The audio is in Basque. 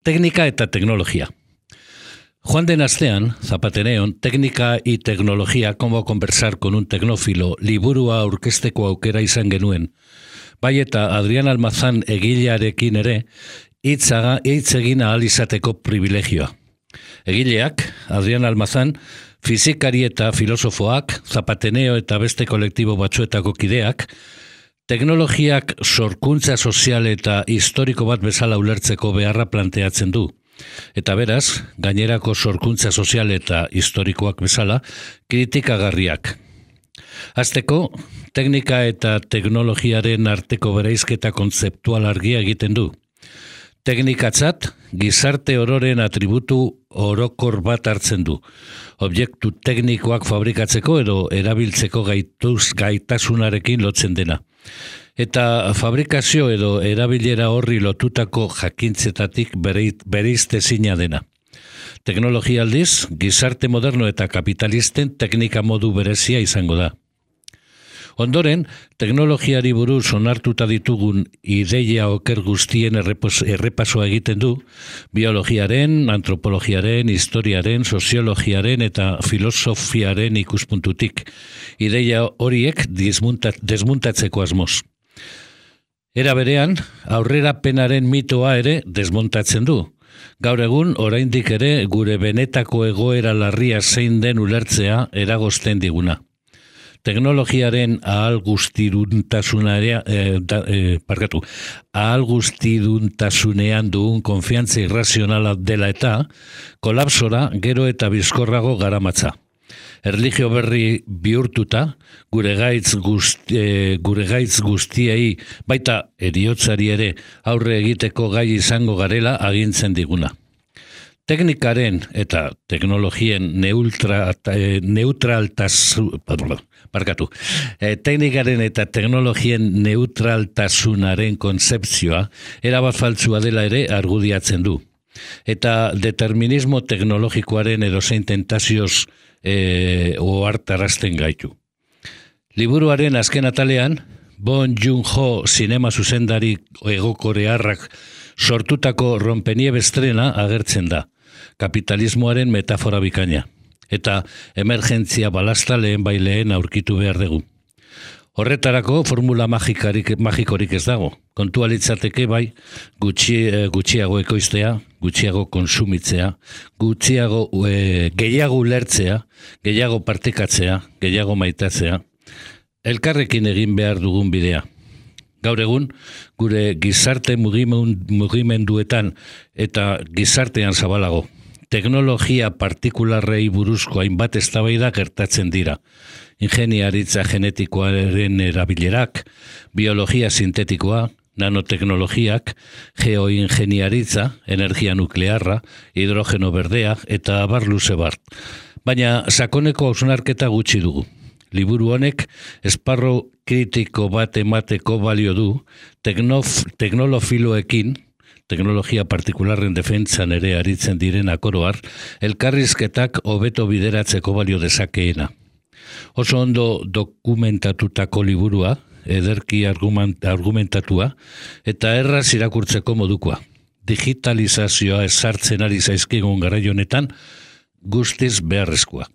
Técnica eta tecnología. Juan de astean, Zapateneon, Técnica y tecnología, cómo conversar con un tecnófilo, liburua aurkezteko aukera izan genuen. Bai eta Adrián Almazán egilearekin ere, hitz egin ahal izateko privilegioa. Egileak, Adrián Almazán, fizikari eta filosofoak, Zapateneo eta beste kolektibo batzuetako kideak, teknologiak sorkuntza sozial eta historiko bat bezala ulertzeko beharra planteatzen du. Eta beraz, gainerako sorkuntza sozial eta historikoak bezala, kritikagarriak. Hasteko, teknika eta teknologiaren arteko bereizketa kontzeptual argia egiten du. Teknikatzat, gizarte ororen atributu orokor bat hartzen du. Objektu teknikoak fabrikatzeko edo erabiltzeko gaitasunarekin lotzen dena. Eta fabrikazio edo erabilera horri lotutako jakintzetatik bereiztezina dena. Teknologia aldiz, gizarte moderno eta kapitalisten teknika modu berezia izango da. Ondoren, teknologiari buruz onartuta ditugun ideia oker guztien errepasoa egiten du, biologiaren, antropologiaren, historiaren, soziologiaren eta filosofiaren ikuspuntutik. Ideia horiek desmuntatzeko asmoz. Era berean, aurrerapenaren mitoa ere desmontatzen du. Gaur egun, oraindik ere gure benetako egoera larria zein den ulertzea eragozten diguna. Teknologiaren ahal guztiduntasunean dugun konfiantza irrazionala dela eta kolapsora gero eta bizkorrago garamatza. Erlijio berri bihurtuta, gure gaitz guztiei, baita heriotzari ere aurre egiteko gai izango garela agintzen diguna. Teknikaren eta teknologien teknikaren eta teknologien neutraltasunaren kontzepzioa erabat faltsua dela ere argudiatzen du. Eta determinismo teknologikoaren edozein tentazioz ohartarazten gaitu. Liburuaren azken atalean, Bong Joon-ho zinema zuzendari egokorearrak sortutako rompeniebe estrena agertzen da. Kapitalismoaren metafora bikaina. Eta emergentzia balasta lehen aurkitu behar dugu. Horretarako formula magikorik ez dago. Kontua litzateke bai gutxiago ekoiztea, gutxiago konsumitzea, gehiago ulertzea, gehiago partekatzea, gehiago maitatzea, elkarrekin egin behar dugun bidea. Gaur egun, gure gizarte mugimenduetan eta gizartean zabalago. Teknologia partikularrei buruzko hainbat eztabaida gertatzen dira. Ingeniaritza genetikoaren erabilerak, biologia sintetikoa, nanoteknologiak, geoingeniaritza, energia nuklearra, hidrogeno berdea eta abar luze bart. Baina sakoneko hausnarketa gutxi dugu. Liburu honek esparru kritiko bat emateko balio du, teknolofiloekin, teknologia partikularren defentsan ere aritzen diren akoroar, elkarrizketak hobeto bideratzeko balio dezakeena. Oso ondo dokumentatutako liburua, ederki argumentatua, eta erraz irakurtzeko modukoa. Digitalizazioa ezartzen ari zaizkigun garai honetan, guztiz beharrezkoa.